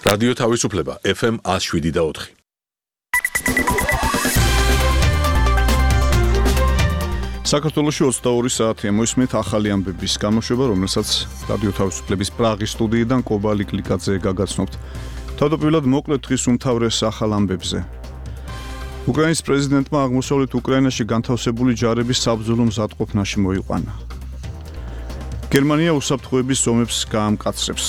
რადიო თავისუფლება FM 107.4. საქართველოში 22 საათია მოისმენთ ახალი ამბების გამოშვება, რომელსაც რადიო თავისუფლების პრაღის სტუდიიდან კობალი კლიკაძე გაგაცნობთ. თავდაპირველად მოკლედ დღის უმთავრეს ახალ ამბებზე. უკრაინის პრეზიდენტმა აღმოსავლეთ უკრაინაში განთავსებული ჯარების საბრძოლო მზადყოფნაში მოიყვანა. გერმანია უსაფრთხოების ზომებს გაამკაცრებს.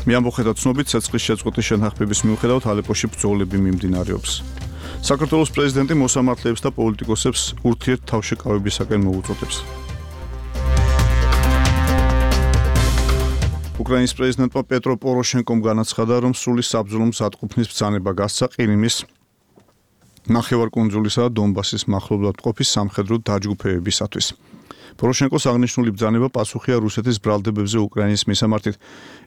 მიამბოხეთა ცნობით, ცეცხლის შეწყვეტის შეთანხმების მიუხედავად ალეპოში ბრძოლები მიმდინარეობს. საქართველოს პრეზიდენტი მოსამართლეებს და პოლიტიკოსებს ურთიერთთავშეკავებისაკენ მოუწოდებს. უკრაინის პრეზიდენტმა პეტრო პოროშენკომ განაცხადა, რომ სრული საბრძოლო მზადყოფნის ბრძანება გასცა ყირიმის, ნახევარკუნძულისა და დონბასის მახლობლად მყოფი სამხედრო დაჯგუფებებისათვის. პოროშენკოს აღნიშნული ბრძანება პასუხია რუსეთის ბრალდებებზე უკრაინის მისამართით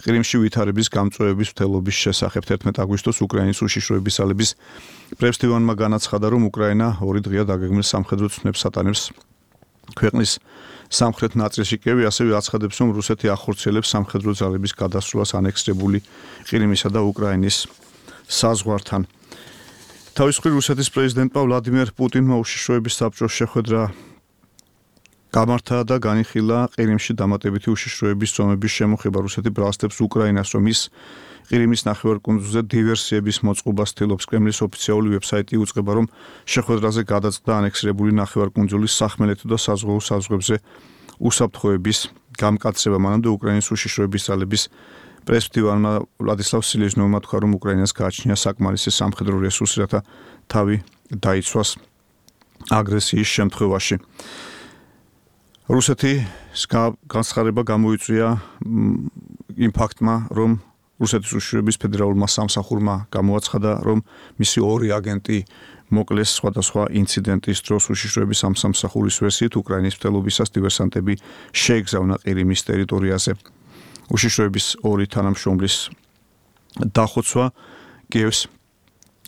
ყირიმში ვითარების გამწვევების მცდელობის შესახებ. 11 აგვისტოს უკრაინის უშიშროების ძალების პრეზიდენტმა განაცხადა, რომ უკრაინა 2 დღეა დაგეგმილ სამხედრო ცნებს ატანებს ქვეყნის სამხრეთ ნაწილში. კიევი ასევე აცხადებს, რომ რუსეთი ახორციელებს სამხედრო ძალების გადასვლას ანექსირებული ყირიმისა და უკრაინის საზღვართან. თავის მხრივ რუსეთის პრეზიდენტმა ვლადიმერ პუტინმა უშიშროების საბჭოს შეხვედრა გამართა და განიხილა ყირიმში დამატებითი უშიშროების ზომების შემოხება. რუსეთი ბრალსდებს უკრაინას, რომ ის ყირიმის ნახევარკუნძულზე დივერსიების მოწყობას ცდილობს. კრემლის ოფიციალური ვებსაიტი უწყება, რომ შეხვედრაზე გადაწყდა ანექსირებული ნახევარკუნძულის სახმელეთო და საზღვაო საზღვრებზე უსაფრთხოების გამკაცრება. მანამდე უკრაინის უშიშროების ძალების პრეზიდენტმა ვლადისლავ სილეჟნოვმა თქვა, რომ უკრაინას გააჩნია საკმარისი სამხედრო რესურსი, რათა თავი დაიცვას აგრესიის შემთხვევაში. რუსეთის განცხადება გამოიწვია იმ ფაქტმა, რომ რუსეთის უშიშროების ფედერალურმა სამსახურმა გამოაცხადა, რომ მისი 2 აგენტი მოკლეს სხვადასხვა ინციდენტის დროს. უშიშროების სამსახურის ვერსიით უკრაინის მცდელობისას დივერსანტები შეეგზავნა ყირიმის ტერიტორიაზე. უშიშროების 2 თანამშრომლის დახოცვა კიევს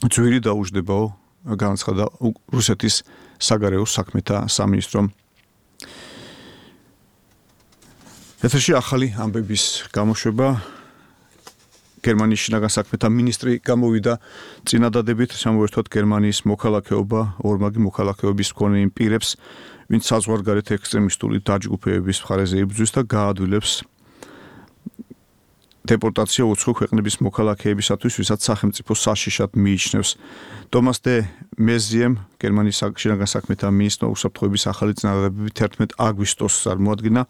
ძვირი დაუждებაო, განაცხადა რუსეთის საგარეო საქმეთა სამინისტრომ. ეთერში ახალი ამბების გამოშვება. გერმანიის შინაგან საქმეთა მინისტრი გამოვიდა წინადადებით, შემოერთვათ გერმანიის მოქალაქეობა ორმაგი მოქალაქეობის მქონე იმ პირებს, ვინც საზღვარგარეთ ექსტრემისტული დაჯგუფებების მხარეზე იბრძვის და გაადვილებს დეპორტაცია უცხო ქვეყნების მოქალაქეებისათვის, ვისაც სახელმწიფო საშიშად მიიჩნევს. ტომას დე მეზიემ, გერმანიის შინაგან საქმეთა მინისტრმა უსაფრთხოების ახალი წინადადებები 11 აგვისტოს წარმოადგინა,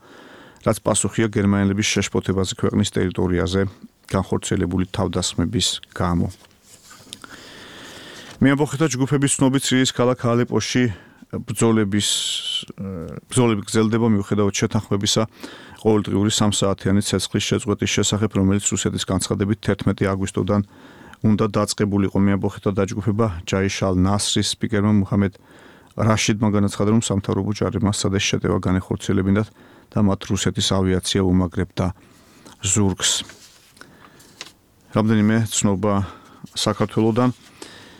რაც პასუხია გერმანელების შეშფოთებაზე ქვეყნის ტერიტორიაზე განხორციელებული თავდასხმების გამო. მიამბოხეთა ჯგუფების ცნობით, სირიის ქალაქ ალეპოში ბრძოლები გრძელდება მიუხედავად შეთანხმებისა ყოველდღიური 3 საათიანი ცეცხლის შეწყვეტის შესახებ, რომელიც რუსეთის განცხადებით 11 აგვისტოდან უნდა დაწყებულიყო. მიამბოხეთა დაჯგუფება ჯაიშ ალ-ნასრის სპიკერმა მუჰამედ რაშიდმა განაცხადა, რომ სამთავრობო ჯარებმა სცადეს შეტევა განეხორციელებინათ და მათ რუსეთის ავიაცია უმაგრებდა ზურგს. რამდენიმე ცნობა საქართველოდან.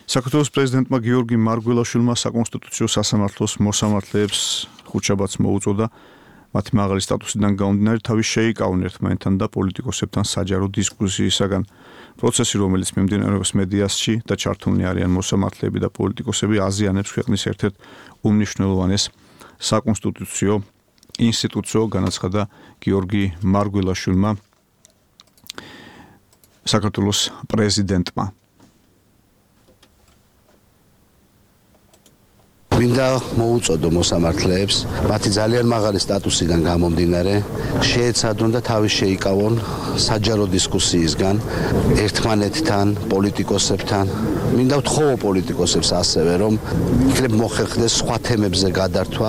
საქართველოს პრეზიდენტმა გიორგი მარგველაშვილმა საკონსტიტუციო სასამართლოს მოსამართლეებს ხუთშაბათს მოუწოდა მათი მაღალი სტატუსიდან გამომდინარე თავის შეიკავონ ერთმანეთთან და პოლიტიკოსებთან საჯარო დისკუსიისაგან. პროცესი, რომელიც მიმდინარეობს მედიასში და ჩართულნი არიან მოსამართლეები და პოლიტიკოსები, აზიანებს ქვეყნის ერთ-ერთ უმნიშვნელოვანეს საკონსტიტუციო ინსტიტუციო, განაცხადა გიორგი მარგველაშვილმა საქართველოს პრეზიდენტმა. მინდა მოუწოდო მოსამართლეებს მათი ძალიან მაღალი სტატუსიდან გამომდინარე შეეცადონ და თავის შეიკავონ საჯარო დისკუსიისგან ერთმანეთთან, პოლიტიკოსებთან. მინდა ვთხოვო პოლიტიკოსებს ასევე, რომ იქნებ მოხერხდეს სხვა თემებზე გადართვა.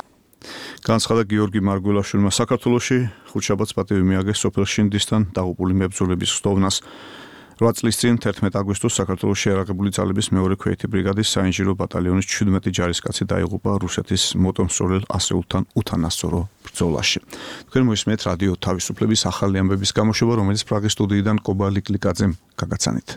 განაცხადა გიორგი მარგველაშვილმა. საქართველოში ხუთშაბათს პატივი მიაგეს სოფელ შინდისთან დაღუპული მებრძოლების ხსოვნას. 8 წლის წინ 11 აგვისტოს საქართველოს შეიარაღებული ძალების მეორე ქვეითი ბრიგადის საინჟინრო ბატალიონის 17 ჯარისკაცი დაიღუპა რუსეთის მოტომსწორელ ასეულთან უთანასწორო ბრძოლაში. თქვენ მოისმენთ რადიო თავისუფლების ახალი ამბების გამოშვება, რომელიც პრაღის სტუდიიდან კობალი კლიკაძემ გაგაცანით.